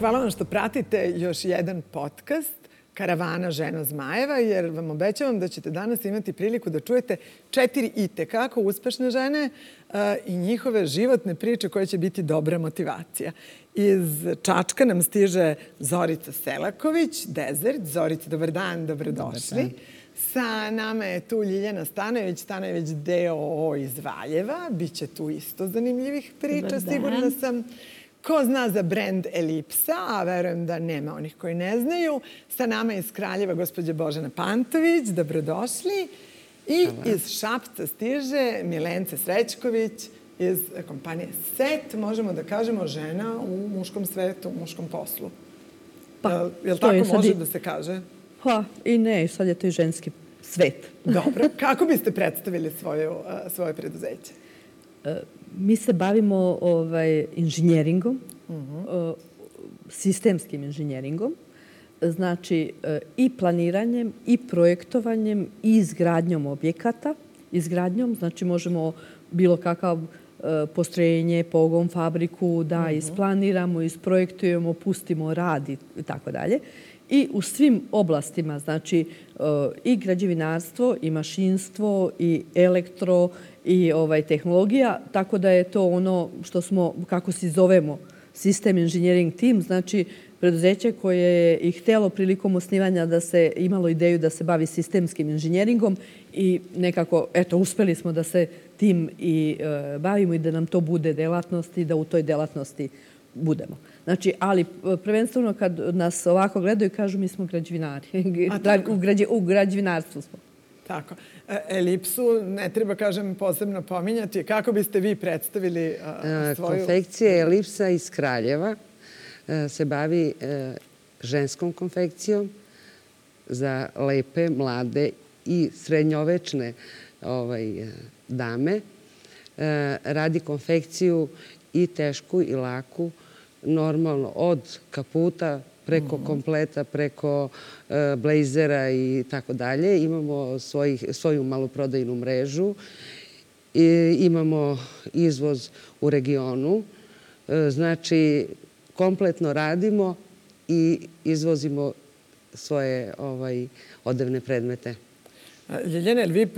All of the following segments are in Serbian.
hvala vam što pratite još jedan podcast Karavana žena zmajeva, jer vam obećavam da ćete danas imati priliku da čujete 4 itekako uspešne žene i njihove životne priče koje će biti dobra motivacija. Iz Čačka nam stiže Zorica Selaković, Desert. Zorica, dobar dan, dobrodošli. Sa nama je tu Ljiljana Stanojević DOO iz Valjeva. Biće tu isto zanimljivih priča, sigurna sam. Ko zna za brend Elipsa, a verujem da nema onih koji ne znaju. Sa nama je iz Kraljeva gospođa Božena Pantović, dobrodošli. I iz Šapca stiže Milence Srećković iz kompanije SET, možemo da kažemo žena u muškom svetu, u muškom poslu. Jel tako može da se kaže? Pa i ne, sad je to i ženski svet. Dobro. Kako biste predstavili svoje preduzeće? Mi se bavimo inženjeringom, sistemskim inženjeringom, znači i planiranjem, i projektovanjem, i izgradnjom objekata. Izgradnjom, znači možemo bilo kakav postrojenje, pogon, fabriku da isplaniramo, isprojektujemo, pustimo rad i tako dalje. I u svim oblastima, znači i građevinarstvo, i mašinstvo, i elektro, i tehnologija, tako da je to ono što smo, kako se zovemo, System Engineering Team, znači preduzeće koje je i htjelo prilikom osnivanja da se imalo ideju da se bavi sistemskim inženjeringom i nekako, eto, uspeli smo da se tim i bavimo i da nam to bude delatnost i da u toj delatnosti budemo. Znači, ali prvenstveno kad nas ovako gledaju, kažu mi smo građevinari. U građevinarstvu smo. Tako. Elipsu ne treba, kažem, posebno pominjati. Kako biste vi predstavili svoju... Konfekcija Elipsa iz Kraljeva se bavi ženskom konfekcijom za lepe, mlade i srednjovečne dame. Radi konfekciju i tešku i laku, normalno od kaputa preko kompleta, preko blejzera i tako dalje. Imamo svoju maloprodajnu mrežu. Imamo izvoz u regionu. Znači, kompletno radimo i izvozimo svoje odevne predmete. Ljiljana, vi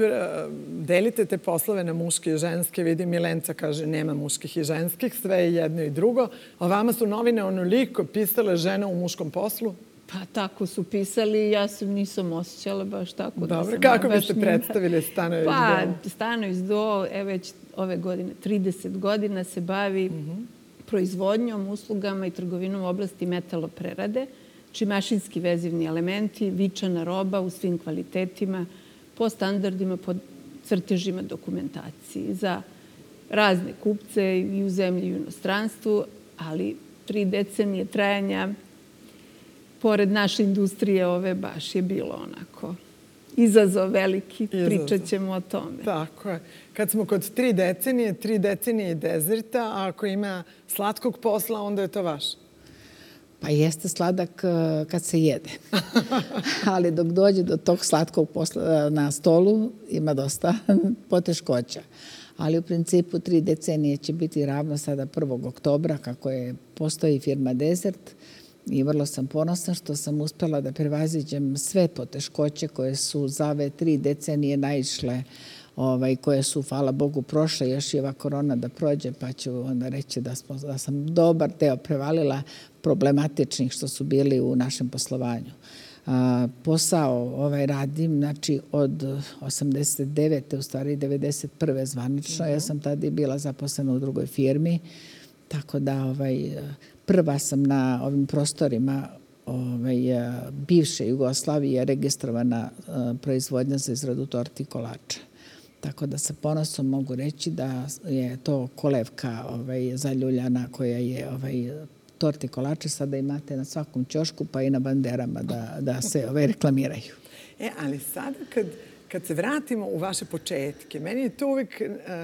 delite te poslove na muške i ženske? Vidim, Milenca kaže nema muških i ženskih, sve je jedno i drugo. A vama su novine onoliko pisale žena u muškom poslu? Pa tako su pisali i ja se nisam osjećala baš tako. Dobro, kako biste predstavili Stanojević DOO? Pa, Stanojević DOO već ove godine, 30 godina se bavi proizvodnjom, uslugama i trgovinom u oblasti metaloprerade, či mašinski vezivni elementi, vičana roba u svim kvalitetima, po standardima, po crtežima dokumentacije za razne kupce i u zemlji i u inostranstvu, ali 3 decenije trajanja pored naše industrije ove baš je bilo onako izazov veliki, pričat ćemo o tome. Tako je. Kad smo kod 3 decenije i Deserta, a ako ima slatkog posla, onda je to vaš. Pa jeste sladak kad se jede. Ali dok dođe do tog slatkog posla na stolu, ima dosta poteškoća. Ali u principu 3 decenije će biti ravno sada 1. oktobra, kako postoji firma Desert. I vrlo sam ponosna što sam uspjela da prevaziđem sve poteškoće koje su za ove 3 decenije naišle, koje su, hvala Bogu, prošle, još i ova korona da prođe, pa ću onda reći da sam dobar deo prevalila problematičnih što su bili u našem poslovanju. Posao radim, znači od 89. u stvari 91. zvanično. Ja sam tada i bila zaposlena u drugoj firmi, tako da prva sam na ovim prostorima bivše Jugoslavije registrovana proizvodnja za izradu torti i kolača. Tako da sa ponosom mogu reći da je to kolevka zaljuljana koja je torti i kolače sada imate na svakom ćošku pa i na banderama da se reklamiraju. Ali sada kad se vratimo u vaše početke, meni je to uvijek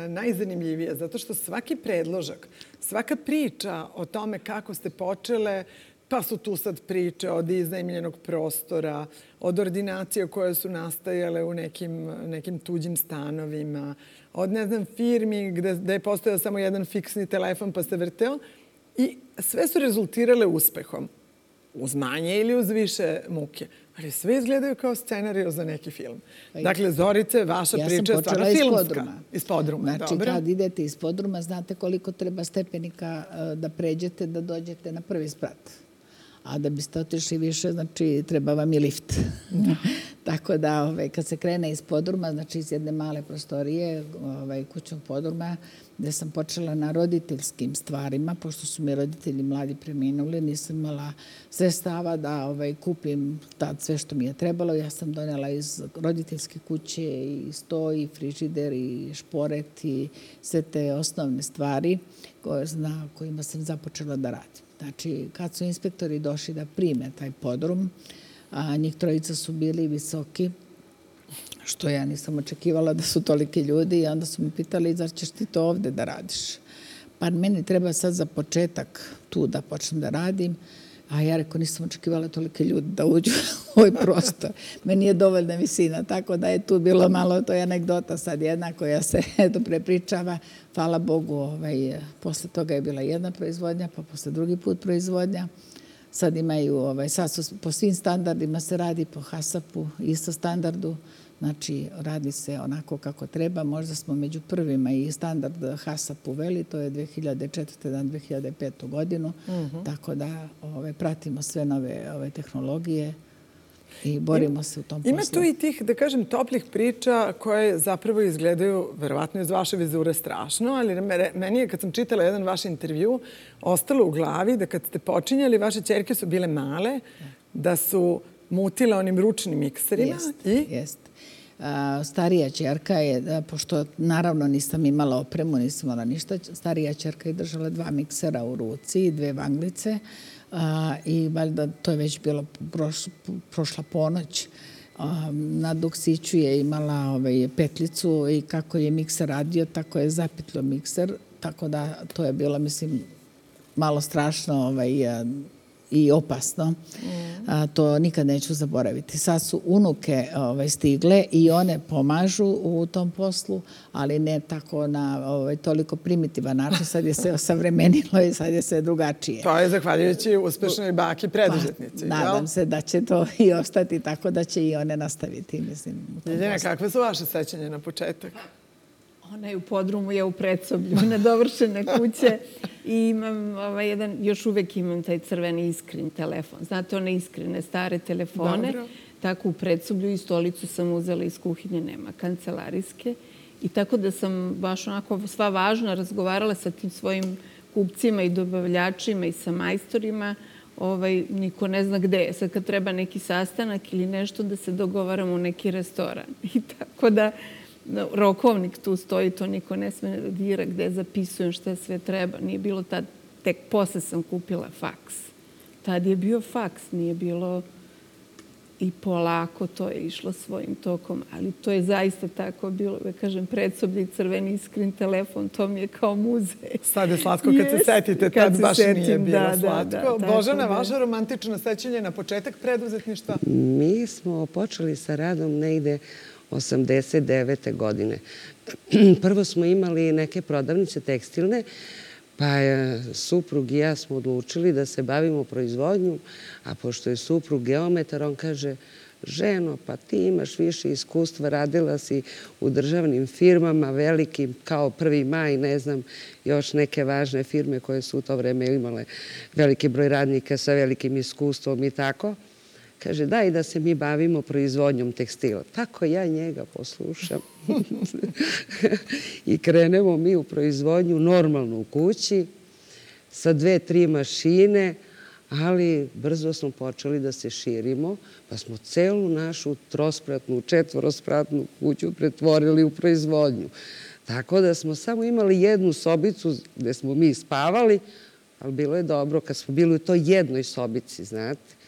najzanimljivije zato što svaki predložak, svaka priča o tome kako ste počele, pa su tu sad priče od iznajmljenog prostora, od ordinacija koje su nastajale u nekim tuđim stanovima, od, ne znam, firmi gde je postojao samo jedan fiksni telefon pa se vrteo. I sve su rezultirale uspehom. Uz manje ili uz više muke. Ali sve izgledaju kao scenariju za neki film. Dakle, Zorice, vaša priča je stvarno filmska. Iz podruma. Znači, kad idete iz podruma, znate koliko treba stepenika da pređete, da dođete na prvi sprat. A da biste otišli više, znači, treba vam i lift. Tako da, kad se krene iz podruma, znači iz jedne male prostorije, kućnog podruma, gde sam počela na roditeljskim stvarima, pošto su mi roditelji mladi preminuli, nisam imala sredstava da kupim tad sve što mi je trebalo. Ja sam donela iz roditeljske kuće i sto, i frižider, i šporet, i sve te osnovne stvari na kojima sam započela da radim. Znači, kad su inspektori došli da prime taj podrum, a njih trojica su bili visoki, što ja nisam očekivala da su toliki ljudi, i onda su mi pitali, zar ćeš ti to ovde da radiš? Pa meni treba sad za početak tu da počnem da radim, a ja rekao, nisam očekivala tolike ljudi da uđu u ovaj prostor. Meni je dovoljna visina, tako da je tu bilo malo, to je anegdota sad jedna koja se prepričava. Hvala Bogu, posle toga je bila jedna proizvodnja, pa posle drugi put proizvodnja. Sad imaju, sad su po svim standardima se radi, po HASAP-u, isto standardu. Znači, radi se onako kako treba. Možda smo među prvima i standard HASAP uveli, to je 2004. na 2005. godinu. Tako da pratimo sve nove tehnologije i borimo se u tom poslu. Ima tu i tih, da kažem, toplih priča koje zapravo izgledaju, verovatno iz vaše vizure, strašno, ali meni je, kad sam čitala jedan vaš intervju, ostalo u glavi da kad ste počinjali, vaše ćerke su bile male, da su mutile onim ručnim mikserima. Jeste. Starija ćerka je, pošto naravno nisam imala opremu, nisam imala ništa, starija ćerka je držala 2 miksera u ruci i 2 vanglice, i valjda to je već bilo prošla ponoć. Na duksiću je imala petljicu i kako je mikser radio, tako je zapitlo mikser, tako da to je bilo, mislim, malo strašno i opasno. To nikad neću zaboraviti. Sad su unuke stigle i one pomažu u tom poslu, ali ne tako na toliko primitivan način. Sad je se osavremenilo i sad je sve drugačije. To je zahvaljujući uspešnoj baki preduzetnici. Nadam se da će to i ostati tako da će i one nastaviti, mislim. Ljiljana, kakve su vaše sećanja na početak? Ona je u podrumu, ja u predsoblju, nedovršene kuće. I imam još uvek imam taj crveni iskrin telefon. Znate, one iskrene stare telefone. Dobro. Tako u predsoblju i stolicu sam uzela iz kuhinje, nema kancelarijske. I tako da sam baš onako sva važna razgovarala sa tim svojim kupcima i dobavljačima i sa majstorima. Niko ne zna gde je. Sad kad treba neki sastanak ili nešto da se dogovaramo u neki restoran. I tako da rokovnik tu stoji, to niko ne sme da dira, gde zapisujem šta sve treba. Nije bilo tad, tek posle sam kupila faks. Tad je bio faks, nije bilo i polako to je išlo svojim tokom, ali to je zaista tako bilo, da kažem, predsoblje i crveni iskrin telefon, to mi je kao muzej. Sad je slatko kad se setite, tad baš nije bilo slatko. Božana, vaša romantično sećanje na početak preduzetništva? Mi smo počeli sa radom negde 89. godine. Prvo smo imali neke prodavnice tekstilne, pa suprug i ja smo odlučili da se bavimo proizvodnjom, a pošto je suprug geometar, on kaže, ženo, pa ti imaš više iskustva, radila si u državnim firmama velikim, kao Prvi maj, ne znam, još neke važne firme koje su u to vreme imale veliki broj radnika sa velikim iskustvom i tako. Kaže, daj da se mi bavimo proizvodnjom tekstila. Tako ja njega poslušam. I krenemo mi u proizvodnju normalno u kući, sa 2-3 mašine, ali brzo smo počeli da se širimo, pa smo celu našu trospratnu, četvorospratnu kuću pretvorili u proizvodnju. Tako da smo samo imali jednu sobicu gde smo mi spavali, ali bilo je dobro kad smo bili u toj jednoj sobici, znate.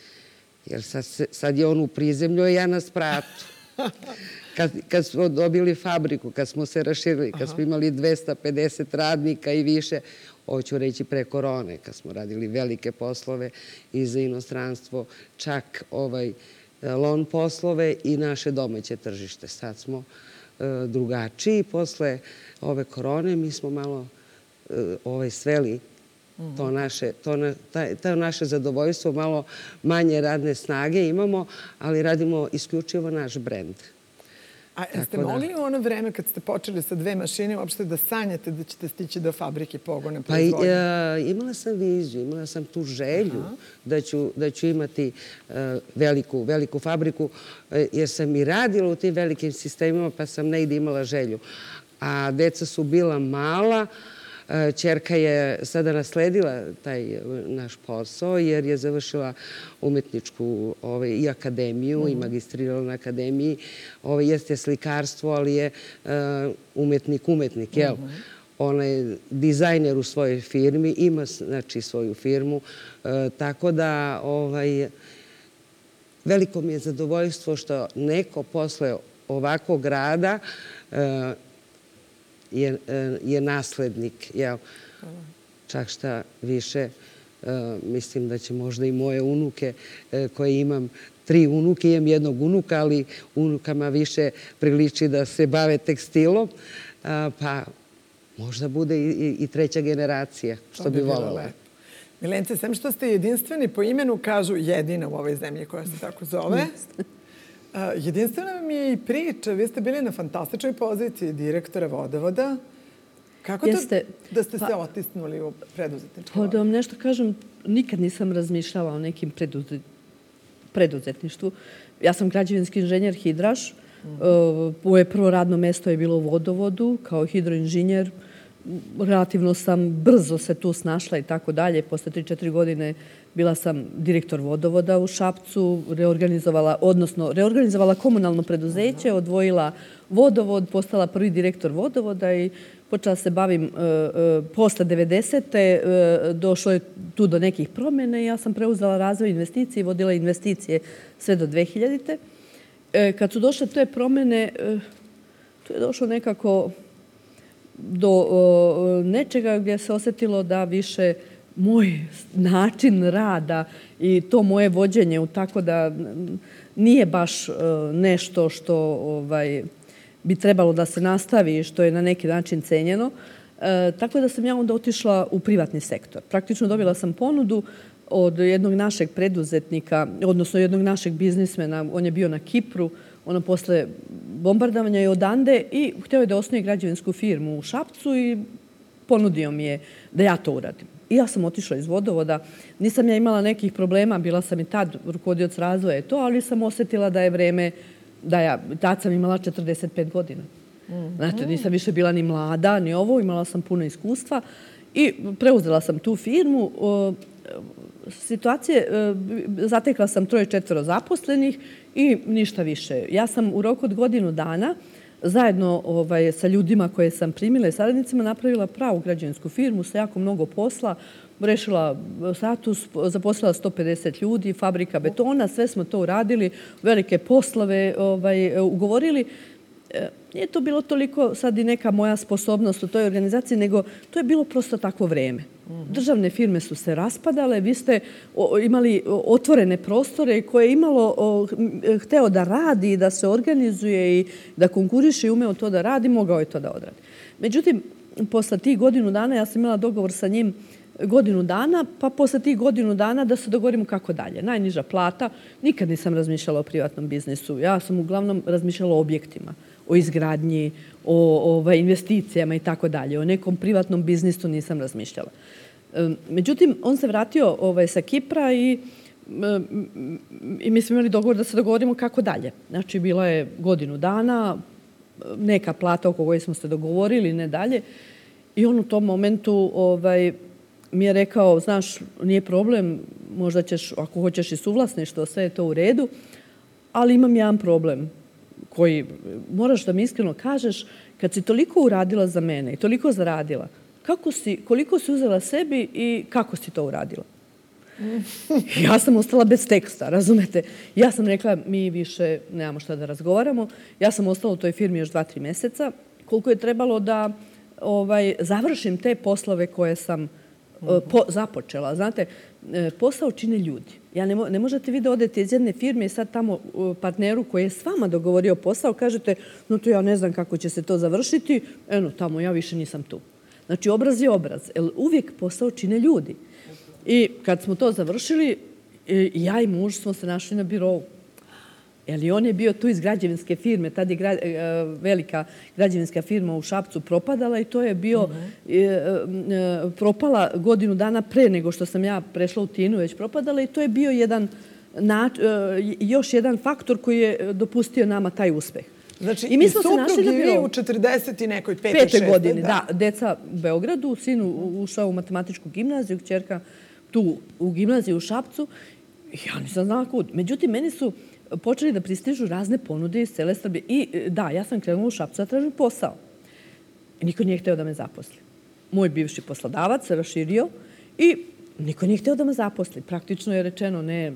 Jer sad je on u prizemlju, a ja na spratu. Kad smo dobili fabriku, kad smo se raširili, kad smo imali 250 radnika i više, hoću reći pre korone, kad smo radili velike poslove i za inostranstvo, čak lon poslove i naše domaće tržište. Sad smo drugačiji. Posle ove korone mi smo malo sveli To naše zadovoljstvo, malo manje radne snage imamo, ali radimo isključivo naš brend. A jeste mogli u ono vreme kad ste počeli sa 2 mašine uopšte da sanjate da ćete stići do fabrike pogone proizvodnje? Pa imala sam viziju, imala sam tu želju da ću imati veliku fabriku, jer sam i radila u tim velikim sistemima, pa sam negdje imala želju. A deca su bila mala. Ćerka je sada nasledila taj naš posao jer je završila umetničku i akademiju i magistrirala na akademiji. Jeste slikarstvo, ali je umetnik, jel? Ona je dizajner u svojoj firmi, ima znači svoju firmu, tako da veliko mi je zadovoljstvo što neko posle ovakvog rada je naslednik, jel? Čak šta više, mislim da će možda i moje unuke, koje imam 3 unuke, imam 1 unuka, ali unukama više priliči da se bave tekstilom, pa možda bude i 3. generacija, što bi voljela. Milence, sem što ste jedinstveni po imenu, kažu jedina u ovoj zemlji koja se tako zove, jedinstvena vam je i priča. Vi ste bili na fantastičnoj poziciji direktora Vodovoda. Kako to da ste se otisnuli u preduzetničku? Pa da vam nešto kažem, nikad nisam razmišljala o nekim preduzetništvu. Ja sam građevinski inženjer hidraš. Moje prvo radno mesto je bilo u Vodovodu kao hidroinženjer. Relativno sam brzo se tu snašla i tako dalje. Posle 3-4 godine bila sam direktor Vodovoda u Šapcu, reorganizovala komunalno preduzeće, odvojila Vodovod, postala prvi direktor Vodovoda i počela se bavim posle 90. Došlo je tu do nekih promjena i ja sam preuzela razvoj investicije i vodila investicije sve do 2000. Kad su došle te promjene, tu je došlo nekako do nečega gdje se osjetilo da više moj način rada i to moje vođenje, tako da nije baš nešto što bi trebalo da se nastavi i što je na neki način cenjeno. Tako da sam ja onda otišla u privatni sektor. Praktično dobila sam ponudu od jednog našeg preduzetnika, odnosno jednog našeg biznismena. On je bio na Kipru, posle bombardovanja je odande i htio je da osnuje građevinsku firmu u Šapcu i ponudio mi je da ja to uradim. I ja sam otišla iz Vodovoda. Nisam ja imala nekih problema, bila sam i tad rukovodioc razvoja i to, ali sam osjetila da je vreme, tad sam imala 45 godina. Znate, nisam više bila ni mlada, ni ovo, imala sam puno iskustva i preuzela sam tu firmu. Situacije, zatekla sam 3-4 zaposlenih i ništa više. Ja sam u roku od godinu dana zajedno sa ljudima koje sam primila i saradnicima napravila pravu građevinsku firmu sa jako mnogo posla, rešila status, zaposlila 150 ljudi, fabrika betona, sve smo to uradili, velike poslove ugovorili. Nije to bilo toliko sad i neka moja sposobnost u toj organizaciji, nego to je bilo prosto takvo vreme. Državne firme su se raspadale, vi ste imali otvorene prostore koje je imalo hteo da radi, da se organizuje i da konkuriše i umeo to da radi, mogao je to da odradi. Međutim, posle tih godinu dana, ja sam imala dogovor sa njim godinu dana, pa posle tih godinu dana da se dogovorimo kako dalje. Najniža plata, nikad nisam razmišljala o privatnom biznisu. Ja sam uglavnom razmišljala o objektima, o izgradnji, o investicijama i tako dalje. O nekom privatnom biznisu nisam razmišljala. Međutim, on se vratio sa Kipra i mi smo imali dogovor da se dogovorimo kako dalje. Znači, bila je godinu dana, neka plata oko koje smo se dogovorili, ne dalje. I on u tom momentu mi je rekao, znaš, nije problem, možda ćeš, ako hoćeš i suvlasništvo, sve je to u redu, ali imam jedan problem koji moraš da mi iskreno kažeš, kad si toliko uradila za mene i toliko zaradila, koliko si uzela sebi i kako si to uradila? Ja sam ostala bez teksta, razumete? Ja sam rekla, mi više nemamo šta da razgovaramo. Ja sam ostala u toj firmi još 2-3 meseca. Koliko je trebalo da završim te poslove koje sam započela. Znate, posao čine ljudi. Ne možete vi da odete iz jedne firme i sad tamo partneru koji je s vama dogovorio posao, kažete, no to ja ne znam kako će se to završiti, eno tamo, ja više nisam tu. Znači, obraz je obraz. Uvijek posao čine ljudi. I kad smo to završili, ja i muž smo se našli na birovu. I on je bio tu iz građevinske firme. Tad je velika građevinska firma u Šapcu propadala i to je bio propala godinu dana pre nego što sam ja prešla u Tinu, već propadala i to je bio još jedan faktor koji je dopustio nama taj uspeh. Znači, i suprug i vi u 40 i nekoj 5. godini. Da, deca u Beogradu, sin ušao u matematičku gimnaziju, kćerka tu u gimnaziju u Šapcu. Ja nisam znala kud. Međutim, meni su počeli da pristižu razne ponude iz cele Srbije. I da, ja sam krenula u Šapcu da tražim posao. I niko nije hteo da me zaposli. Moj bivši poslodavac se raširio i niko nije hteo da me zaposli. Praktično je rečeno, ne,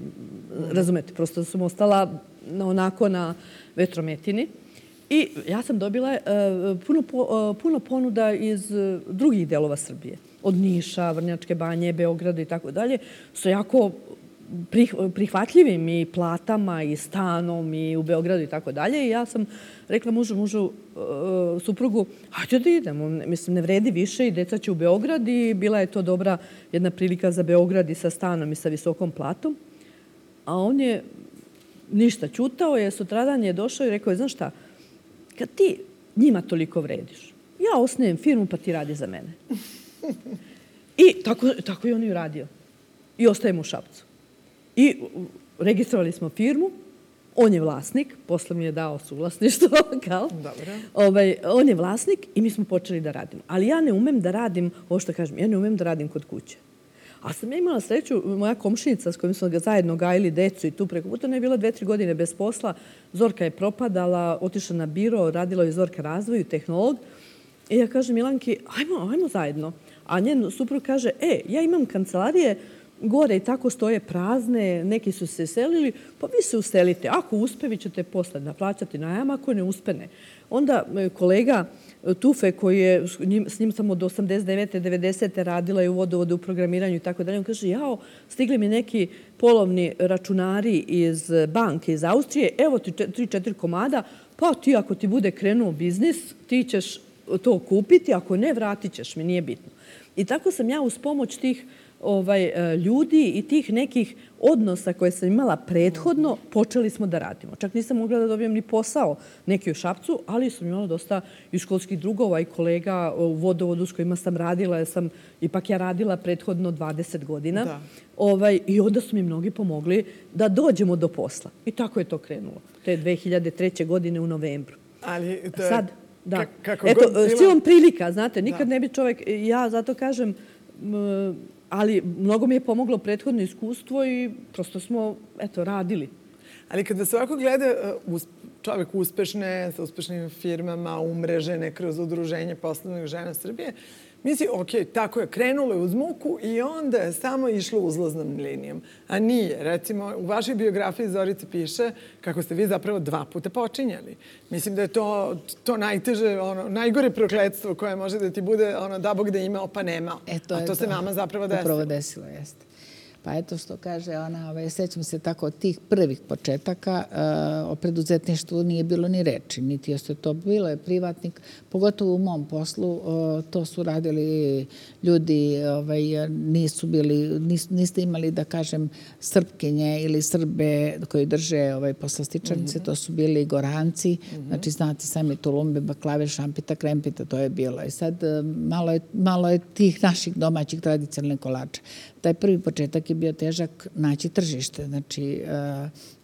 razumete, prosto sam ostala onako na vetrometini. I ja sam dobila puno ponuda iz drugih delova Srbije. Od Niša, Vrnjačke Banje, Beograda i tako dalje. Su jako prihvatljivim i platama i stanom i u Beogradu i tako dalje. I ja sam rekla mužu, suprugu, hajde da idemo. Mislim, ne vredi više i deca će u Beograd i bila je to dobra jedna prilika za Beograd i sa stanom i sa visokom platom. A on je ništa ćutao, je sutradan je došao i rekao je, znaš šta, kad ti njima toliko vrediš, ja osnujem firmu pa ti radi za mene. I tako je on i uradio. I ostajemo u Šapcu. I registrovali smo firmu, on je vlasnik, posle mi je dao suvlasništvo, kao. On je vlasnik i mi smo počeli da radimo. Ali ja ne umem da radim, ovo što kažem, ja ne umem da radim kod kuće. A sam ja imala sreću, moja komšinica s kojom smo ga zajedno gajili decu i tu preko puta, ona je bila 2-3 godine bez posla. Zorka je propadala, otišla na biro, radila je Zorka razvoju, tehnolog. I ja kažem Milanki, ajmo zajedno. A njen suprug kaže, ja imam kancelarije gore i tako stoje prazne, neki su se selili, pa vi se uselite. Ako uspe, vi ćete posle naplaćati najam, ako ne uspe, ne. Onda kolega Tufe, koji je s njim samo do 89. 90. radila i u vodovodu, u programiranju i tako dalje, on kaže, stigli mi neki polovni računari iz banke iz Austrije, evo ti 3-4 komada, pa ti ako ti bude krenuo biznis, ti ćeš to kupiti, ako ne, vratit ćeš mi, nije bitno. I tako sam ja uz pomoć tih ljudi i tih nekih odnosa koje sam imala prethodno, počeli smo da radimo. Čak nisam mogla da dobijem ni posao neki u Šapcu, ali sam imala dosta i školskih drugova i kolega u vodovodu s kojima sam radila, jer sam ipak ja radila prethodno 20 godina. I onda su mi mnogi pomogli da dođemo do posla. I tako je to krenulo. To je 2003. godine u novembru. Ali to je... Sad, da. Eto, silom prilika, znate, nikad ne bi čovjek, ja zato kažem, ali mnogo mi je pomoglo prethodno iskustvo i prosto smo, radili. Ali kada se ovako gleda čovjek uspešne, sa uspešnim firmama, umrežene kroz udruženje poslovnih žena Srbije, misli, tako je, krenulo je uz muku i onda je samo išlo uzlaznom linijom. A nije. Recimo, u vašoj biografiji Zorice piše kako ste vi zapravo 2 puta počinjali. Mislim da je to najteže, najgore prokletstvo koje može da ti bude, da Bog da imao pa nemao. A to se vama zapravo desilo. Upravo desilo, jeste. Pa eto što kaže ona, sećam se tako od tih prvih početaka, o preduzetništvu nije bilo ni reči, niti jeste to bilo je privatnik, pogotovo u mom poslu, to su radili ljudi, niste imali da kažem Srpkinje ili Srbe koji drže poslastičarnice, to su bili Goranci, znači znate sami Tulumbe, baklave, šampita, krempita, to je bilo. I sad malo je tih naših domaćih tradicionalnih kolača. Taj prvi početak je bio težak naći tržište, znači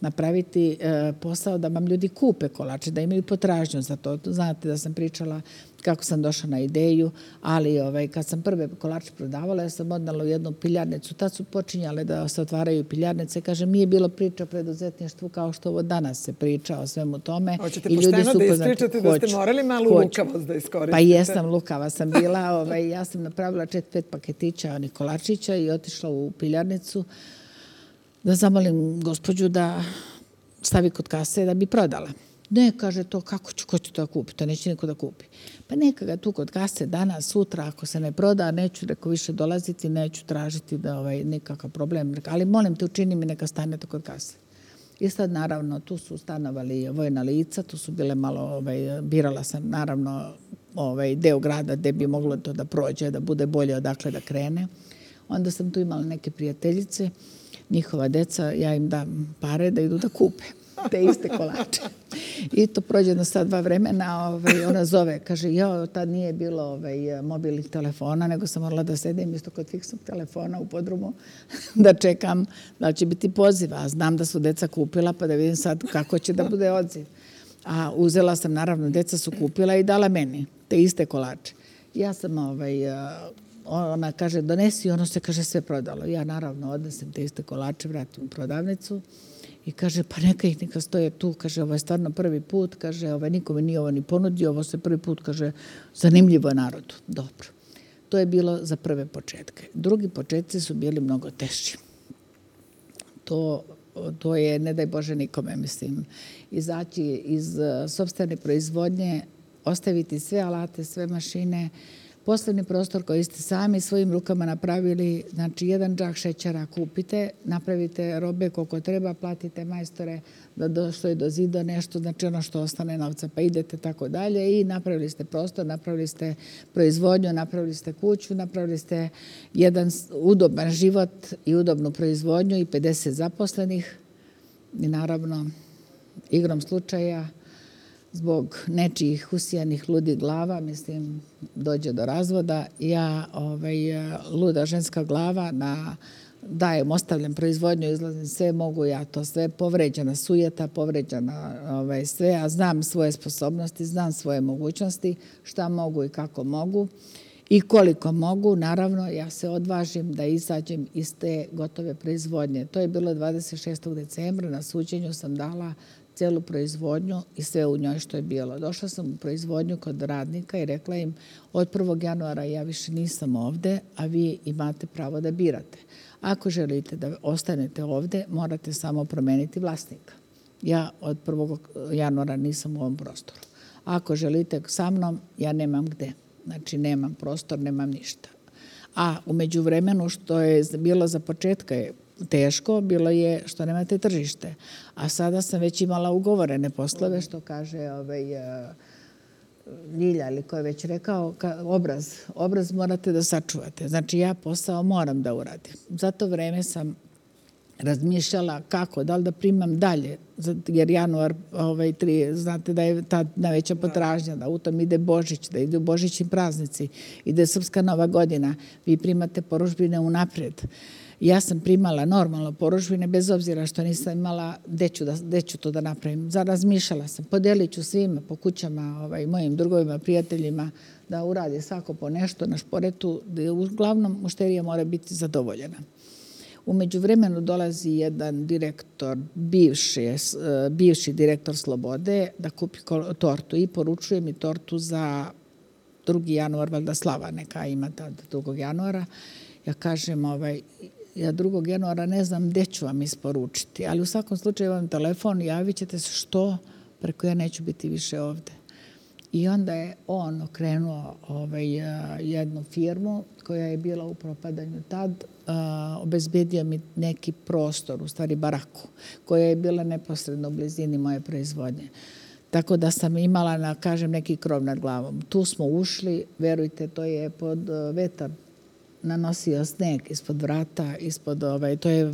napraviti posao da vam ljudi kupe kolače, da imaju potražnju za to. Znate da sam pričala kako sam došla na ideju, ali kad sam prve kolače prodavala, ja sam odnala u jednu piljarnicu. Tad su počinjale da se otvaraju piljarnice. Kažem, nije bilo priča o preduzetništvu kao što ovo danas se priča o svemu tome. Hoćete pošteno da ispričate da ste morali malo lukavost da iskoristite? Pa jesam, lukava sam bila. Ja sam napravila 4-5 paketića onih kolačića i otišla u piljarnicu da zamolim gospođu da stavi kod kase da bi prodala. Ne, kaže to, ko će to kupiti? To neće niko da kupi. Pa neka ga tu kod kase danas, sutra, ako se ne proda, neću reko više dolaziti, neću tražiti da nikakav problem. Ali molim te, učini mi neka stanete kod kase. I sad, naravno, tu su stanovali vojna lica, tu su bile malo, birala sam, naravno, deo grada gde bi moglo to da prođe, da bude bolje odakle da krene. Onda sam tu imala neke prijateljice, njihova deca, ja im dam pare da idu da kupe te iste kolače. I to prođe jedno sad 2 vremena, ona zove, kaže, tad nije bilo mobilnih telefona, nego sam morala da sedim isto kod fiksnog telefona u podrumu, da čekam da će biti poziva. A znam da su deca kupila, pa da vidim sad kako će da bude odziv. A uzela sam, naravno, deca su kupila i dala meni te iste kolače. Ja sam, ona kaže, donesi, ono se, kaže, sve prodalo. Ja, naravno, odnesem te iste kolače, vratim u prodavnicu i kaže, pa neka stoje tu, kaže, ovo je stvarno prvi put, kaže, nikome nije ovo ni ponudio, ovo se prvi put, kaže, zanimljivo je narodu. Dobro. To je bilo za prve početke. Drugi početci su bili mnogo teži. To je, ne daj Bože nikome, mislim, izaći iz sopstvene proizvodnje, ostaviti sve alate, sve mašine, poslovni prostor koji ste sami svojim rukama napravili, znači 1 džak šećera kupite, napravite robe koliko treba, platite majstore da što je do zida nešto, znači ono što ostane novca, pa idete tako dalje i napravili ste prostor, napravili ste proizvodnju, napravili ste kuću, napravili ste jedan udoban život i udobnu proizvodnju i 50 zaposlenih i naravno igrom slučaja zbog nečijih usijanih ludih glava, mislim, dođe do razvoda. Ja, luda ženska glava, ostavljam proizvodnju, izlazim sve, mogu ja to sve, povređena sujeta, povređena sve, a znam svoje sposobnosti, znam svoje mogućnosti, šta mogu i kako mogu i koliko mogu. Naravno, ja se odvažim da izađem iz te gotove proizvodnje. To je bilo 26. decembra, na suđenju sam dala celu proizvodnju i sve u njoj što je bilo. Došla sam u proizvodnju kod radnika i rekla im od 1. januara ja više nisam ovde, a vi imate pravo da birate. Ako želite da ostanete ovde, morate samo promeniti vlasnika. Ja od 1. januara nisam u ovom prostoru. Ako želite sa mnom, ja nemam gde. Znači, nemam prostor, nemam ništa. A u međuvremenu što je bilo za početka je teško, bilo je što nemate tržište. A sada sam već imala ugovorene poslove, što kaže Ljilja, ili ko je već rekao, obraz morate da sačuvate. Znači, ja posao moram da uradim. Za to vreme sam razmišljala kako, da li da primam dalje, jer januar, znate da je ta najveća potražnja, da u tom ide Božić, da idu božićni praznici, ide Srpska Nova godina, vi primate porudžbine unaprijed. Ja sam primala normalno porudžbine, bez obzira što nisam imala gde ću to da napravim. Razmišljala sam, podelit ću svima po kućama, mojim drugovima, prijateljima, da uradi svako po nešto na šporetu, da uglavnom mušterija mora biti zadovoljena. U međuvremenu dolazi jedan direktor, bivši direktor Slobode, da kupi tortu i poručuje mi tortu za 2. januar, valjda slava neka ima tad 2. januara. Ja kažem, ja 2. januara ne znam gde ću vam isporučiti, ali u svakom slučaju vam telefon, javit ćete se što, preko ja neću biti više ovde. I onda je on okrenuo jednu firmu koja je bila u propadanju tad, obezbedio mi neki prostor, u stvari baraku, koja je bila neposredno u blizini moje proizvodnje. Tako da sam imala, kažem, neki krov nad glavom. Tu smo ušli, verujte, to je pod vetar nanosio sneg ispod vrata, to je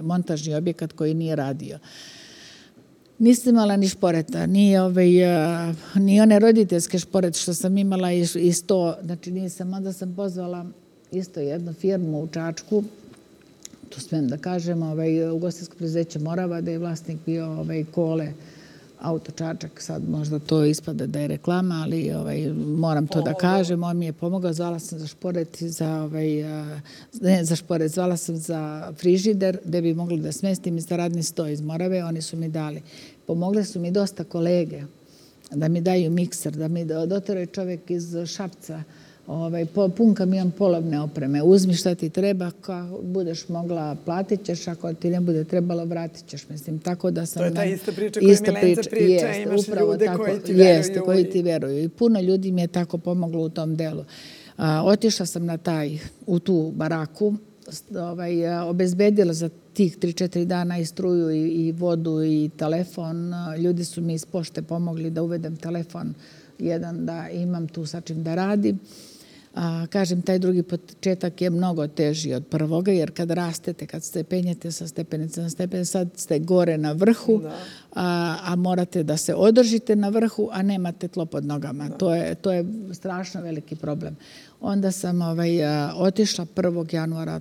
montažni objekat koji nije radio. Nisam imala ni šporeta, ni one roditeljske šporete što sam imala iz to, znači nisam, onda sam pozvala isto jednu firmu u Čačku, tu smijem da kažem, ugostiteljsko preduzeće Morava, da je vlasnik bio Kole, Auto Čačak, sad možda to ispada da je reklama, ali moram to da kažem, on mi je pomogao, zvala sam za šporet, zvala sam za frižider, gde bi mogli da smestim i za radni sto iz Morave, oni su mi dali. Pomogli su mi dosta kolege da mi daju mikser, da mi doteraju čovjek iz Šapca, pun kamion polovne opreme, uzmi šta ti treba, kako budeš mogla, platit ćeš, ako ti ne bude trebalo, vratit ćeš, mislim, tako da sam... To je ta ista priča koja Milenca priča, imaš ljude koji ti veruju. Jeste, koji ti veruju i puno ljudi mi je tako pomoglo u tom delu. Otišla sam u tu baraku, obezbedila za tih 3-4 dana i struju i vodu i telefon. Ljudi su mi iz pošte pomogli da uvedem telefon jedan da imam tu sa čim da radim. Kažem, taj drugi početak je mnogo teži od prvoga, jer kad rastete, kad se penjete sa stepenice na stepenice, sad ste gore na vrhu, a morate da se održite na vrhu, a nemate tlo pod nogama. To je strašno veliki problem. Onda sam otišla 1. januara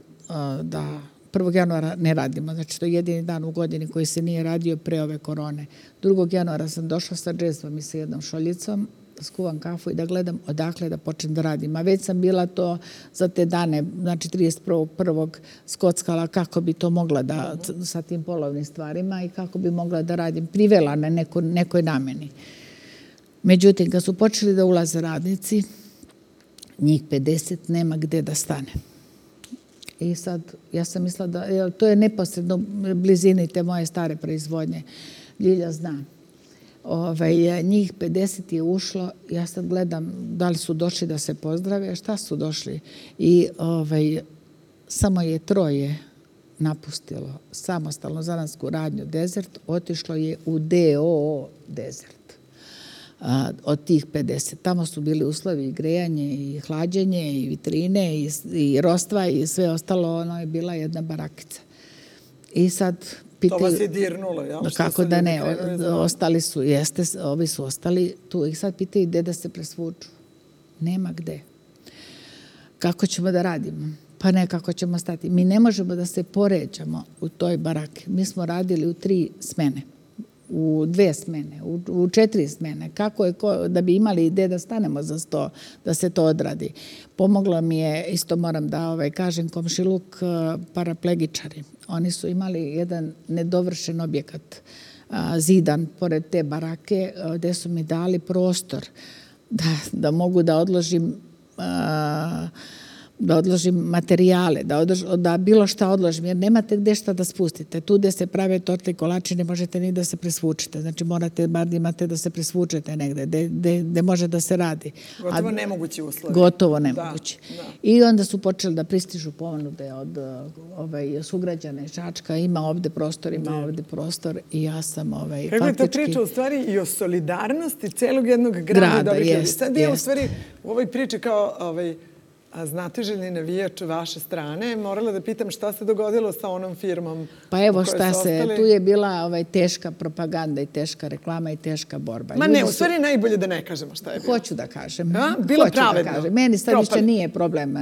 da 1. januara ne radimo, znači to je jedini dan u godini koji se nije radio pre ove korone. 2. januara sam došla sa džezvom i sa jednom šoljicom, skuvam kafu i da gledam odakle da počnem da radim. A već sam bila to za te dane, znači 31.1. skockala kako bi to mogla da, sa tim polovnim stvarima i kako bi mogla da radim. Privela na nekoj nameni. Međutim, kad su počeli da ulaze radnici, njih 50 nema gde da stane. I sad, ja sam mislila da, to je neposredno blizini te moje stare proizvodnje. Ljilja zna. Njih 50 je ušlo, ja sad gledam da li su došli da se pozdrave, šta su došli. I samo je 3 napustilo samostalno zanatsku radnju Desert, otišlo je u DOO Desert. Od tih 50. Tamo su bili uslovi i grejanje i hlađenje i vitrine i rostva i sve ostalo, ono je bila jedna barakica. I sad pitaju, to vas je dirnulo, jel? Kako da ne, ostali su, ovi su ostali tu i sad pitaju gde da se presvuču. Nema gde. Kako ćemo da radimo? Pa ne, kako ćemo stati. Mi ne možemo da se poređamo u toj baraki. Mi smo radili u 3 smene. U 2 smene, u 4 smene. Kako je, da bi imali ide da stanemo za 100, da se to odradi. Pomoglo mi je, isto moram da kažem, komšiluk paraplegičari. Oni su imali jedan nedovršen objekat, zidan, pored te barake, gde su mi dali prostor da mogu da odložim materijale, da bilo šta odložim, jer nemate gde šta da spustite. Tu gde se prave torte i kolači ne možete ni da se presvučite. Znači morate, bar imate da se presvučete negde, gde može da se radi. Gotovo nemogući uslovi. Gotovo nemogući. I onda su počeli da pristižu ponude od sugrađana iz Čačka. Ima ovde prostor i ja sam faktički... Kako je to priča u stvari i o solidarnosti celog jednog grada. Sad je u stvari u ovoj priči kao znatiželjni navijač vaše strane, morala da pitam šta se dogodilo sa onom firmom. Pa evo šta se, tu je bila teška propaganda i teška reklama i teška borba. Ma ne, u stvari najbolje da ne kažemo šta je bilo. Hoću da kažem. Bilo pravedno. Meni sad više nije problem.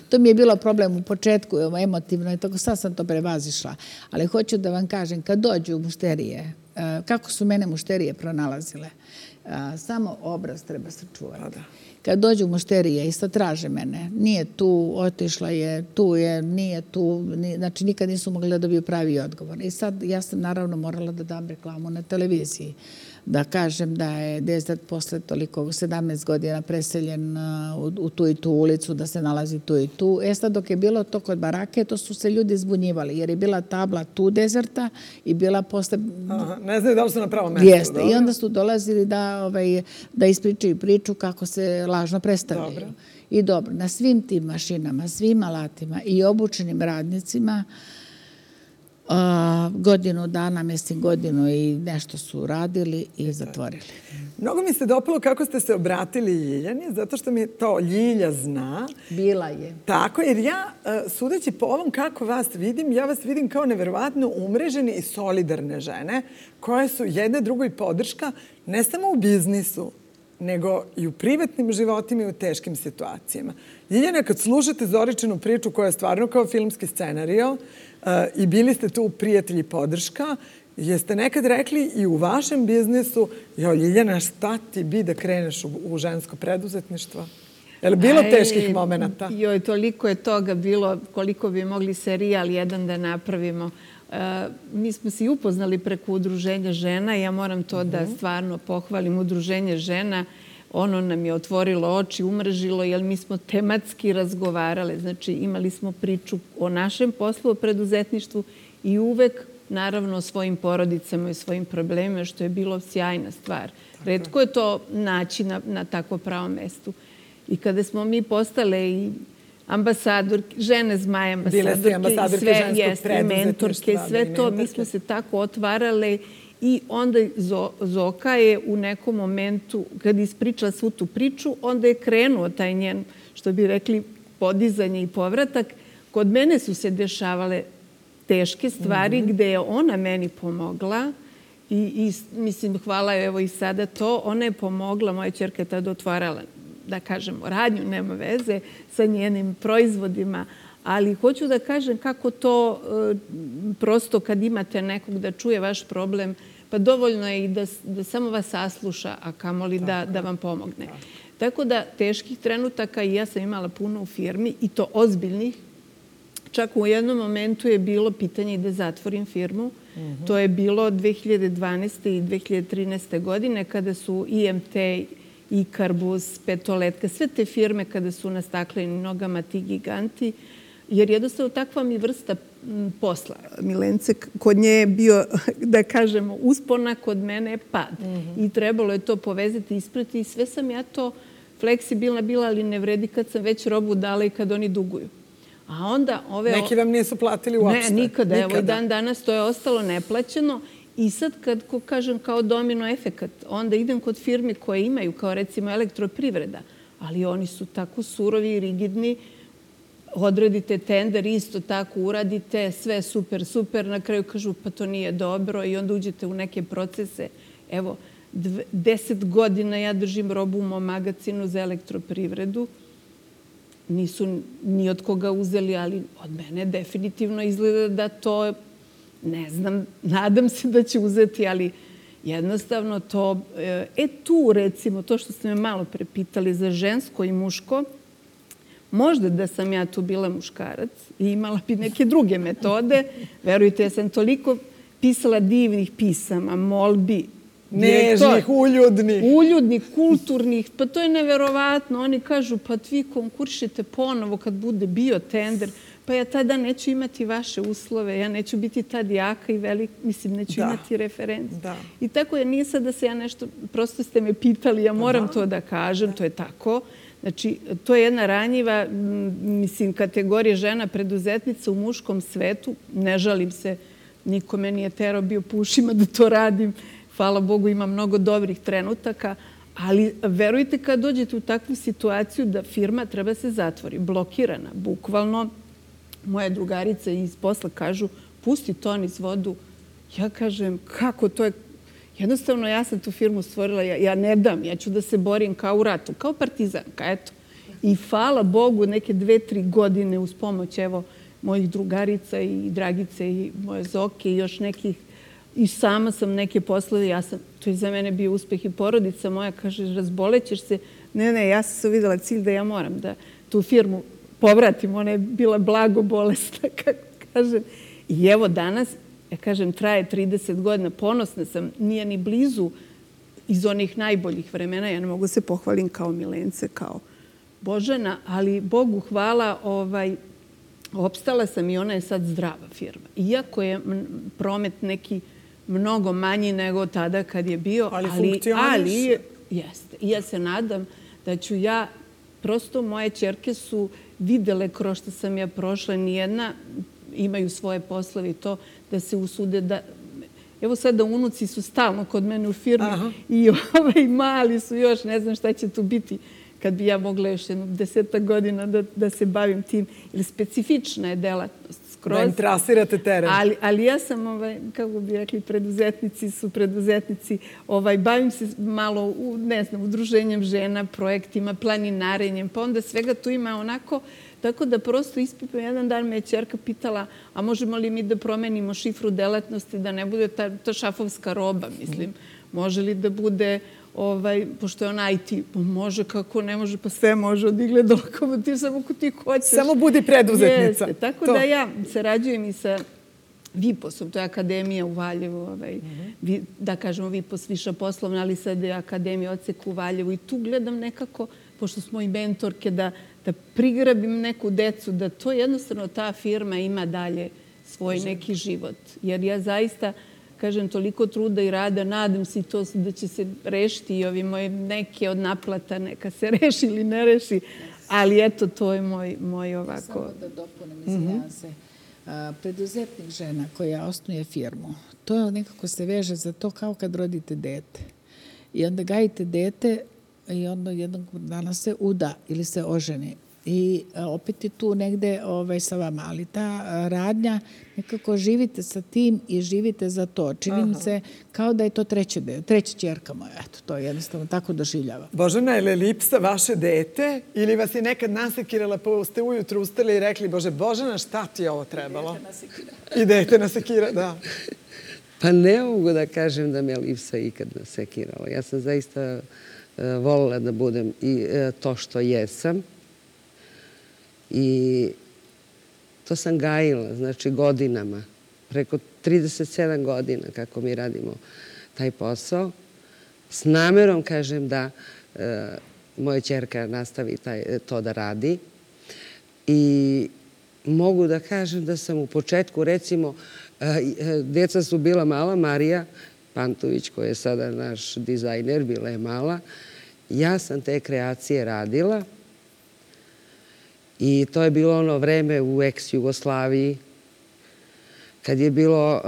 To mi je bilo problem u početku, emotivno i tako, sad sam to prevazišla. Ali hoću da vam kažem, kad dođu mušterije, kako su mene mušterije pronalazile, samo obraz treba se čuvati. Kad dođu mušterije i sad traže mene, nije tu, otišla je, tu je, nije tu, znači nikad nisu mogli da dobiju pravi odgovor. I sad ja sam naravno morala da dam reklamu na televiziji, da kažem da je Desert posle toliko 17 godina preseljen u tu i tu ulicu, da se nalazi tu i tu. Sad dok je bilo to kod barake, to su se ljudi zbunjivali, jer je bila tabla tu Deserta i bila posle... Ne znaju da li su na pravom mestu. Jeste. I onda su dolazili da ispričaju priču kako se lažno predstavljaju. Dobro. I dobro, na svim tim mašinama, svim alatima i obučenim radnicima godinu dana, godinu i nešto su radili i zatvorili. Mnogo mi se dopalo kako ste se obratili Ljiljani, zato što mi to Ljilja zna. Bila je. Tako, jer ja, sudeći po ovom kako vas vidim, ja vas vidim kao neverovatno umrežene i solidarne žene koje su jedne drugoj podrška ne samo u biznisu, nego i u privatnim životima i u teškim situacijama. Ljiljana, kad slušate Zoričinu priču koja je stvarno kao filmski scenario i bili ste tu prijatelji podrška, jeste nekad rekli i u vašem biznisu, Ljiljana, šta ti bi da kreneš u žensko preduzetništvo? Je li bilo teških momenta? Joj, toliko je toga bilo, koliko bi mogli serijal jedan da napravimo. Mi smo se i upoznali preko Udruženja žena. Ja moram to da stvarno pohvalim. Udruženje žena, ono nam je otvorilo oči, umrežilo, jer mi smo tematski razgovarale. Znači, imali smo priču o našem poslu, o preduzetništvu i uvek, naravno, o svojim porodicama i svojim problemima, što je bilo sjajna stvar. Retko je to naći na tako pravom mestu. I kada smo mi postale i ambasadorke, žene zmaje, ambasadorke, sve jeste, mentorke, sve to, mi smo se tako otvarale I onda Zoka je u nekom momentu, kad ispričala svu tu priču, onda je krenuo taj njen, što bi rekli, podizanje i povratak. Kod mene su se dešavale teške stvari gde je ona meni pomogla i mislim, hvala evo i sada to, ona je pomogla, moja ćerka je tada otvarala, da kažemo, radnju, nema veze sa njenim proizvodima, ali hoću da kažem kako to prosto kad imate nekog da čuje vaš problem, pa dovoljno je i da samo vas sasluša, a kamoli da vam pomogne. Tako da teških trenutaka i ja sam imala puno u firmi i to ozbiljnih. Čak u jednom momentu je bilo pitanje da zatvorim firmu. To je bilo 2012. i 2013. godine kada su IMT, Ikarbus, Petoletka, sve te firme kada su na staklenim nogama ti giganti, jer jednostavno takva mi vrsta posla, Milence, kod nje je bio, da kažemo, uspona, kod mene je pad. I trebalo je to povezati, isprati i sve sam ja to fleksibilna bila, ali ne vredi kad sam već robu dala i kad oni duguju. A onda neki vam nisu platili uopšte? Ne, nikada. Evo i dan danas to je ostalo neplaćeno. I sad kad, kažem, kao domino efekat, onda idem kod firme koje imaju, kao recimo Elektroprivreda, ali oni su tako surovi i rigidni, odradite tender, isto tako uradite, sve super, super, na kraju kažu pa to nije dobro i onda uđete u neke procese. Evo, 10 godina ja držim robu u mom magazinu za Elektroprivredu. Nisu ni od koga uzeli, ali od mene definitivno izgleda da to, ne znam, nadam se da će uzeti, ali jednostavno to... Tu, recimo, to što ste me malo prepitali za žensko i muško, možda da sam ja tu bila muškarac i imala bi neke druge metode. Verujte, ja sam toliko pisala divnih pisama, molbi, nežnih, uljudnih, kulturnih. Pa to je neverovatno. Oni kažu, pa vi konkuršite ponovo kad bude bio tender. Pa ja tada neću imati vaše uslove. Ja neću biti tad jaka i velika. Mislim, neću imati referencu. I tako je, nije sad da se ja nešto... Prosto ste me pitali, ja moram to da kažem. To je tako. Znači, to je jedna ranjiva, mislim, kategorija žena preduzetnica u muškom svetu. Ne žalim se. Niko me nije terao bio po ušima da to radim. Hvala Bogu, ima mnogo dobrih trenutaka, ali verujte kad dođete u takvu situaciju da firma treba se zatvori, blokirana, bukvalno. Moje drugarice iz posla kažu, pusti to niz vodu. Ja kažem, kako to je? Jednostavno, ja sam tu firmu stvorila, ja ne dam, ja ću da se borim kao u ratu, kao partizanka, eto. I hvala Bogu, neke 2-3 godine uz pomoć, evo, mojih drugarica i Dragice i moje Zoke i još nekih. I sama sam neke poslove, to je za mene bio uspeh i porodica moja, kaže, razbolećeš se. Ne, ja sam se uvidela cilj da ja moram da tu firmu povratim. Ona je bila blago bolesna, kako kažem. I evo danas, ja kažem, traje 30 godina, ponosna sam, nije ni blizu iz onih najboljih vremena. Ja ne mogu se pohvalim kao Milence, kao Božana, ali Bogu hvala, opstala sam i ona je sad zdrava firma. Iako je promet neki mnogo manji nego tada kad je bio, ali jeste. I ja se nadam da ću ja, prosto moje ćerke su videle kroz što sam ja prošla, nijedna imaju svoje poslove i to da se usude da... Evo sada unuci su stalno kod mene u firmi i mali su još, ne znam šta će tu biti kad bi ja mogla još 10 godina da se bavim tim. Ili specifična je delatnost. Da im trasirate teren. Ali ja sam, kako bi rekli, preduzetnici, bavim se malo, ne znam, udruženjem žena, projektima, planinarenjem, pa onda svega tu ima onako, tako da prosto ispipam. Jedan dan me je ćerka pitala, a možemo li mi da promenimo šifru delatnosti, da ne bude ta šafovska roba, mislim. Može li da bude, pošto je on IT, može, kako ne može, pa sve može od igle do lokomotiv, samo ako ti hoćeš. Samo budi preduzetnica. Jeste, tako da ja sarađujem i sa VIPOS-om, to je akademija u Valjevu, da kažemo VIPOS, viša poslovna, ali sad je akademija odsek u Valjevu i tu gledam nekako, pošto smo i mentorke, da prigrabim neku decu, da to jednostavno ta firma ima dalje svoj neki život. Jer ja zaista, kažem, toliko truda i rada, nadam se i to da će se rešiti i ovi moje neke od naplata, neka se reši ili ne reši, ali eto, to je moj ovako... Samo da dopunem, izvinjam se. Preduzetnik žena koja osnuje firmu, to nekako se veže za to kao kad rodite dete. I onda gajite dete i onda jednog dana se uda ili se oženi. I opet je tu negde sa vama, ali ta radnja, nekako živite sa tim i živite za to. Čini mi se kao da je to treća ćerka moja. Eto, to jednostavno tako doživljava. Božena, je li Lipsa vaše dete ili vas je nekad nasekirala pa ste ujutru ustali i rekli Božena, šta ti je ovo trebalo? I dete nasekira, da. Pa ne mogu da kažem da me Lipsa ikad nasekirala. Ja sam zaista voljela da budem i to što jesam. I to sam gajila, znači godinama, preko 37 godina kako mi radimo taj posao. S namerom kažem da moja ćerka nastavi to da radi. I mogu da kažem da sam u početku, recimo, djeca su bila mala, Marija Pantović, koja je sada naš dizajner, bila je mala. Ja sam te kreacije radila. I to je bilo ono vreme u ex-Jugoslaviji, kad je bilo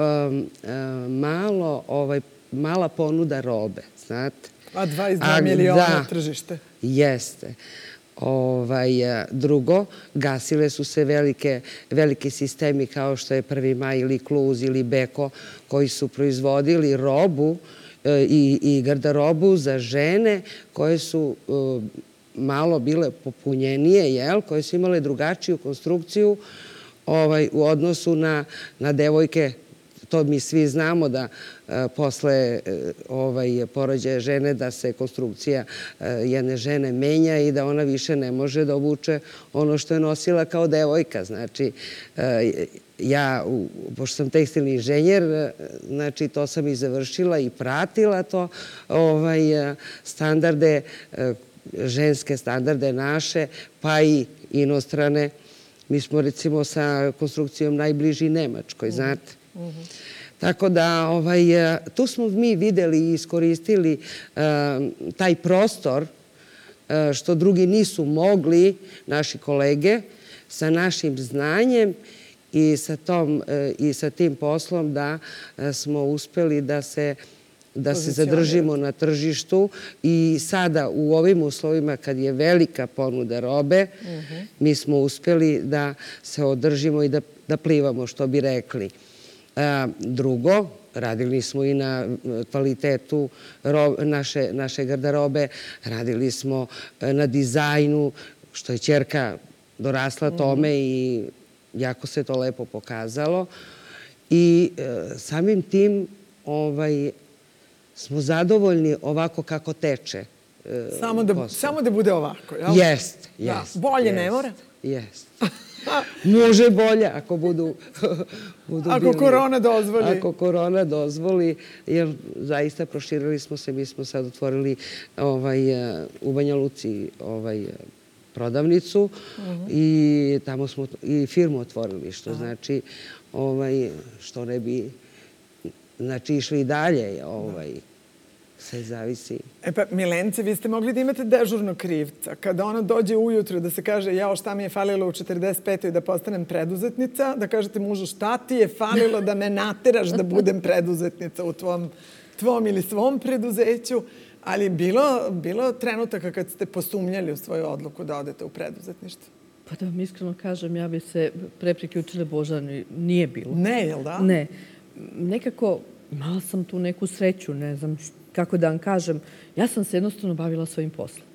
mala ponuda robe, znate. A 22 miliona tržište. Jeste. Drugo, gasile su se veliki sistemi kao što je 1. maj ili Kluz ili Beko, koji su proizvodili robu i garderobu za žene koje su malo bile popunjenije, koje su imale drugačiju konstrukciju u odnosu na devojke. To mi svi znamo da posle porođaja žene da se konstrukcija jedne žene menja i da ona više ne može da obuče ono što je nosila kao devojka. Znači, ja, pošto sam tekstilni inženjer, znači to sam i završila i pratila to standarde, ženske standarde naše, pa i inostrane. Mi smo recimo sa konstrukcijom najbliži Nemačkoj, znate. Tako da tu smo mi videli i iskoristili taj prostor što drugi nisu mogli, naši kolege, sa našim znanjem i sa tim poslom da smo uspeli da se zadržimo na tržištu i sada u ovim uslovima kad je velika ponuda robe, mi smo uspeli da se održimo i da plivamo, što bi rekli. Drugo, radili smo i na kvalitetu naše garderobe, radili smo na dizajnu, što je ćerka dorasla tome i jako se to lepo pokazalo. I samim tim smo zadovoljni ovako kako teče. Samo da bude ovako, jel? Jest. Bolje ne mora? Jest. Može bolje ako budu Ako korona dozvoli. Ako korona dozvoli, jer zaista proširili smo se. Mi smo sad otvorili u Banja Luci prodavnicu i tamo smo i firmu otvorili, što znači što ne bi išli i dalje, sve zavisi. E pa, Milence, vi ste mogli da imate dežurnog krivca. Kada ona dođe ujutru da se kaže jao šta mi je falilo u 45. da postanem preduzetnica, da kažete mužu šta ti je falilo da me nateraš da budem preduzetnica u tvom ili svom preduzeću, ali bilo trenutaka kad ste posumnjali u svoju odluku da odete u preduzetništvo? Pa da vam iskreno kažem, ja bi se pre priključila Božani. Nije bilo. Ne, jel da? Ne. Nekako imala sam tu neku sreću, ne znam kako da vam kažem. Ja sam se jednostavno bavila svojim poslom.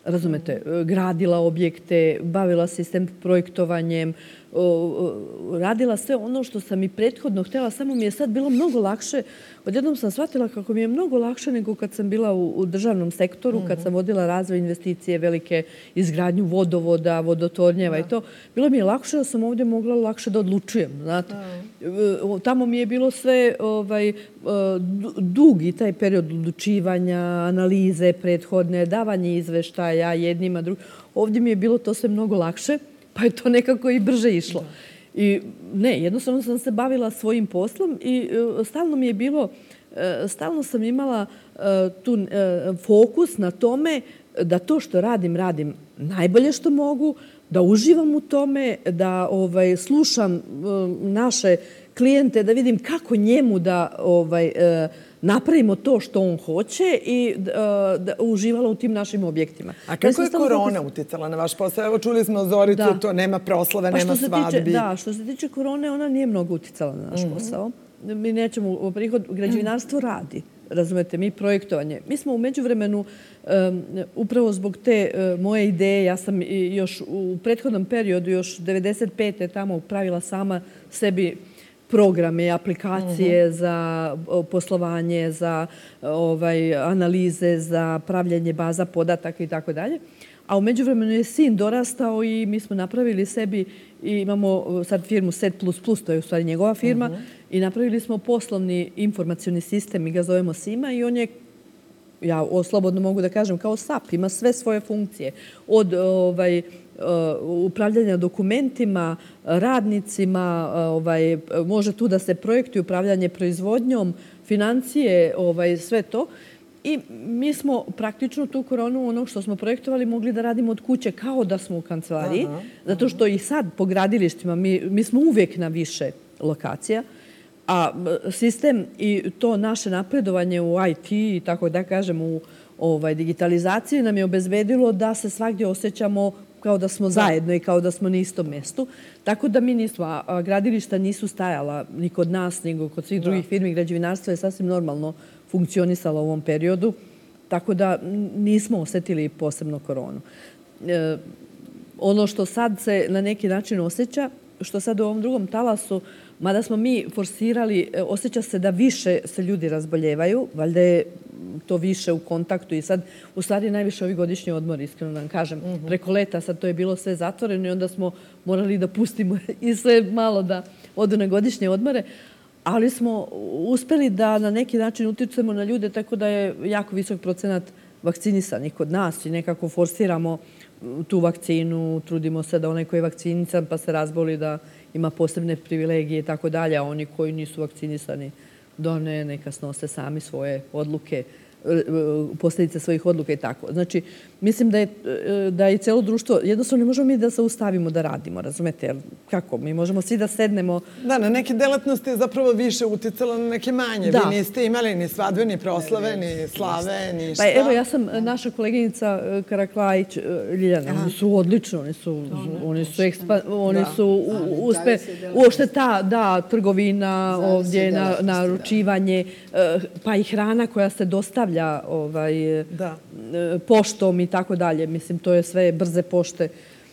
Razumete, gradila objekte, bavila se s projektovanjem, radila sve ono što sam i prethodno htjela, samo mi je sad bilo mnogo lakše. Odjednom sam shvatila kako mi je mnogo lakše nego kad sam bila u državnom sektoru, kad sam vodila razvoj investicije, velike izgradnju vodovoda, vodotornjeva i to. Bilo mi je lakše da sam ovdje mogla lakše da odlučujem, znate. Tamo mi je bilo sve dugi taj period odlučivanja, analize prethodne, davanje izveštaja jednima, drugim. Ovdje mi je bilo to sve mnogo lakše, pa je to nekako i brže išlo. I ne, jednostavno sam se bavila svojim poslom i stalno mi je bilo, stalno sam imala tu fokus na tome da to što radim najbolje što mogu, da uživam u tome, da slušam naše klijente, da vidim kako njemu da napravimo to što on hoće i da uživala u tim našim objektima. A kako je korona uticala na vaš posao? Evo čuli smo Zoricu, to nema proslave, nema svadbi. Što se tiče korone, ona nije mnogo uticala na naš posao. Mi nećemo prihod, građevinarstvo radi. Razumete, mi projektovanje. Mi smo u međuvremenu, upravo zbog te moje ideje, ja sam još u prethodnom periodu, još 95. tamo pravila sama sebi programe, aplikacije za poslovanje, za analize, za pravljanje baza podataka i tako dalje. A u međuvremenu je sin dorastao i mi smo napravili sebi i imamo sad firmu Set++, to je u stvari njegova firma, i napravili smo poslovni informacioni sistem, mi ga zovemo SIMA i on je, ja slobodno mogu da kažem, kao SAP, ima sve svoje funkcije. Od upravljanja dokumentima, radnicima, može tu da se projektuje upravljanje proizvodnjom, financije, sve to. I mi smo praktično tu koronu, ono što smo projektovali, mogli da radimo od kuće kao da smo u kancelariji, zato što i sad po gradilištima mi smo uvijek na više lokacija, a sistem i to naše napredovanje u IT i tako da kažem u digitalizaciji nam je obezbedilo da se svagdje osjećamo kao da smo zajedno i kao da smo na istom mestu. Tako da mi nismo, gradilišta nisu stajala ni kod nas, nego kod svih drugih firmi. Građevinarstvo je sasvim normalno funkcionisalo u ovom periodu, tako da nismo osjetili posebno koronu. Ono što sad se na neki način osjeća, što sad u ovom drugom talasu, mada smo mi forsirali, osjeća se da više se ljudi razboljevaju, valjda je to više u kontaktu i sad u stvari najviše ovi godišnji odmori, iskreno da vam kažem. Preko leta sad to je bilo sve zatvoreno i onda smo morali da pustimo i sve malo da odu na godišnje odmore, ali smo uspeli da na neki način utičemo na ljude tako da je jako visok procenat vakcinisanih kod nas i nekako forsiramo tu vakcinu, trudimo se da onaj koji je vakcinisan pa se razboli da ima posebne privilegije i tako dalje, a oni koji nisu vakcinisani neka snose sami svoje odluke, posljedice svojih odluka i tako. Znači, mislim da je cijelo društvo, jednostavno ne možemo mi da se ustavimo da radimo, razumete? Jer kako? Mi možemo svi da sednemo. Da, na neke delatnosti je zapravo više uticalo, na neke manje. Vi niste imali ni svadbe, ni proslave, ni slave, ni šta. Pa evo, ja sam naša koleginica Karaklajić, Ljiljana, oni su odlično, oni su uopšte ta trgovina ovdje, naručivanje, pa i hrana koja se dostavlja poštom i tako dalje. Mislim, to je sve brze pošte.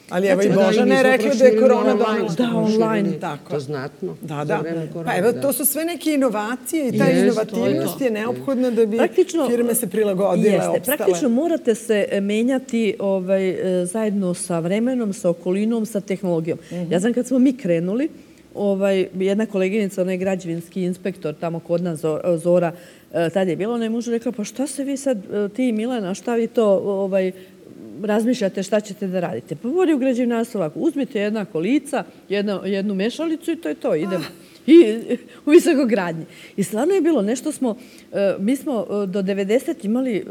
Ali evo i Božana je rekla da je korona donala. Da, online. To znatno. Da. Pa evo, to su sve neke inovacije i ta inovativnost je neophodna da bi firme se prilagodile, opstale. Praktično morate se menjati zajedno sa vremenom, sa okolinom, sa tehnologijom. Ja znam kad smo mi krenuli, jedna koleginica, ona je građevinski inspektor tamo kod nas, Zora, tad je bila, ona je mužu rekla, pa šta se vi sad, ti i Milena, šta vi to razmišljate, šta ćete da radite? Pa vodi u građevinarstvo ovako, uzmite jedna kolica, jednu mešalicu i to je to, idemo. I u visokogradnji. I stvarno je bilo nešto mi smo do 90 imali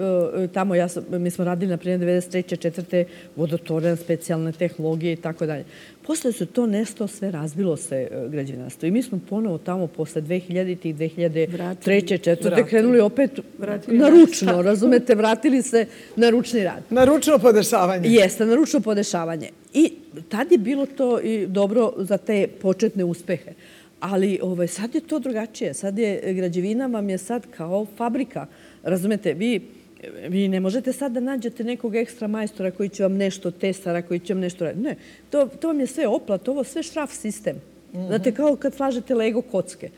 tamo, mi smo radili na primjer 93. 4. vodotoren, specijalne tehnologije i tako dalje. Posle se to nešto sve razbilo se građevinarstvo. I mi smo ponovo tamo posle 2000-ih, 2003. 4. krenuli opet na ručno, razumete, vratili se na ručni rad. Na ručno podešavanje. Jeste, na ručno podešavanje. I tad je bilo to i dobro za te početne uspehe. Ali sad je to drugačije. Sad je građevina vam je sad kao fabrika. Razumete, vi ne možete sad da nađete nekog ekstra majstora koji će vam nešto, tesara koji će vam nešto raditi. Ne, to vam je sve oplat, ovo sve šraf sistem. Znate, kao kad slažete Lego kocke.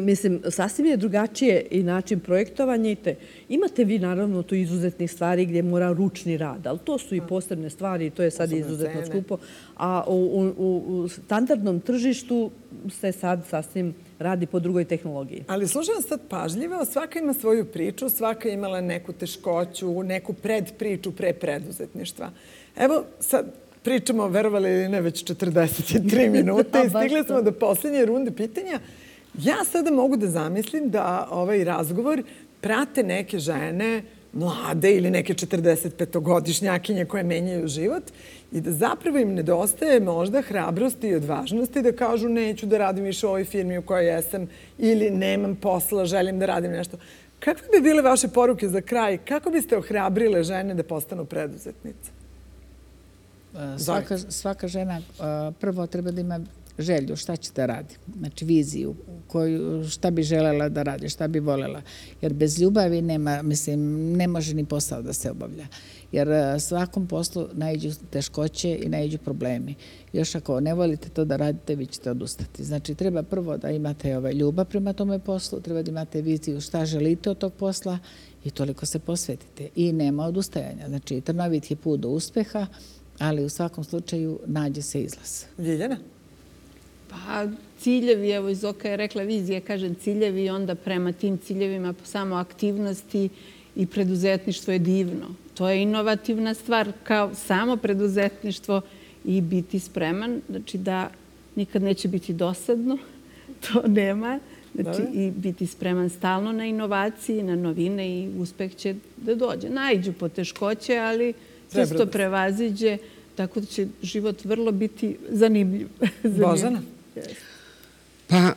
Mislim, sasvim je drugačije i način projektovanja i te. Imate vi naravno tu izuzetnih stvari gdje mora ručni rad, ali to su i posebne stvari i to je sad izuzetno skupo. A u standardnom tržištu se sad sasvim radi po drugoj tehnologiji. Ali slušam sad pažljivo, svaka ima svoju priču, svaka imala neku teškoću, neku predpriču pre preduzetništva. Evo sad pričamo, verovali ili ne, već 43 minuta i stigli smo do posljednje runde pitanja. Ja sada mogu da zamislim da ovaj razgovor prate neke žene mlade ili neke 45-godišnjakinje koje menjaju život i da zapravo im nedostaje možda hrabrosti i odvažnosti da kažu neću da radim više u ovoj firmi u kojoj jesam ili nemam posla, želim da radim nešto. Kakve bi bile vaše poruke za kraj? Kako biste ohrabrile žene da postanu preduzetnice? Svaka žena prvo treba da ima želju šta će da radi. Znači viziju, šta bi želela da radi, šta bi volela. Jer bez ljubavi ne može ni posao da se obavlja. Jer svakom poslu naiđu teškoće i naiđu problemi. Još ako ne volite to da radite, vi ćete odustati. Znači treba prvo da imate ljubav prema tome poslu, treba da imate viziju šta želite od tog posla i toliko se posvetite. I nema odustajanja. Znači trnovit je put do uspeha, ali u svakom slučaju nađe se izlaz. Ljiljana? Pa ciljevi, evo iz Zoka je rekla vizija, kažem ciljevi i onda prema tim ciljevima samo aktivnosti i preduzetništvo je divno. To je inovativna stvar kao samo preduzetništvo i biti spreman, znači da nikad neće biti dosadno, to nema. Znači i biti spreman stalno na inovacije, na novine i uspeh će da dođe. Naiđu poteškoće, ali sve se to prevaziđe, tako da će život vrlo biti zanimljiv. Božana? Pa,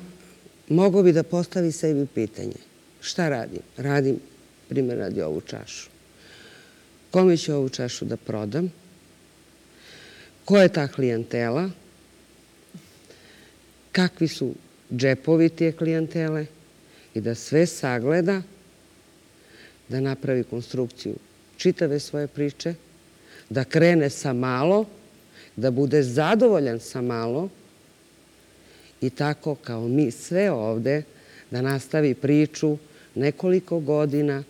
mogo bi da postavi sebi pitanje. Šta radim? Radim, primjer radi ovu čašu. Kome ću ovu čašu da prodam? Ko je ta klijentela? Kakvi su džepovi tije klijentele? I da sve sagleda, da napravi konstrukciju čitave svoje priče, da krene sa malo, da bude zadovoljan sa malo i tako kao mi sve ovde da nastavi priču nekoliko godina,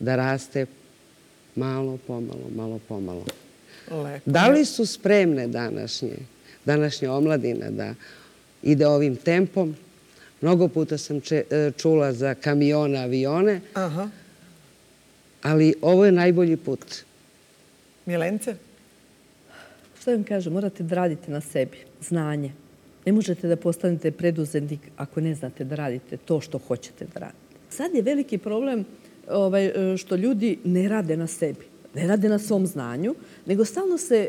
da raste malo pomalo. Lepo. Da li su spremne današnja omladina da ide ovim tempom? Mnogo puta sam čula za kamione, avione, ali ovo je najbolji put. Milence? Šta vam kažem, morate da radite na sebi, znanje. Ne možete da postanete preduzetnik ako ne znate da radite to što hoćete da radite. Sad je veliki problem što ljudi ne rade na sebi, ne rade na svom znanju, nego stalno se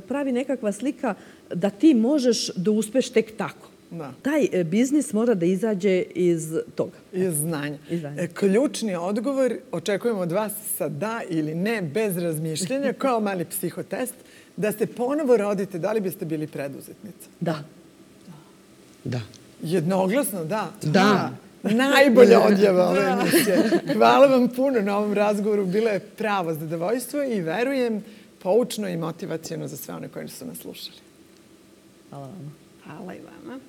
pravi nekakva slika da ti možeš da uspeš tek tako. Taj biznis mora da izađe iz toga. Iz znanja. Ključni odgovor očekujemo od vas sa da ili ne, bez razmišljenja, kao mali psihotest, da se ponovo rodite, da li biste bili preduzetnica? Da. Da. Jednoglasno, da. Da. Najbolja odjava ove emisije. Hvala vam puno na ovom razgovoru. Bilo je pravo zadovoljstvo i verujem poučno i motivacijno za sve one koji su nas slušali. Hvala vam. Hvala i vama.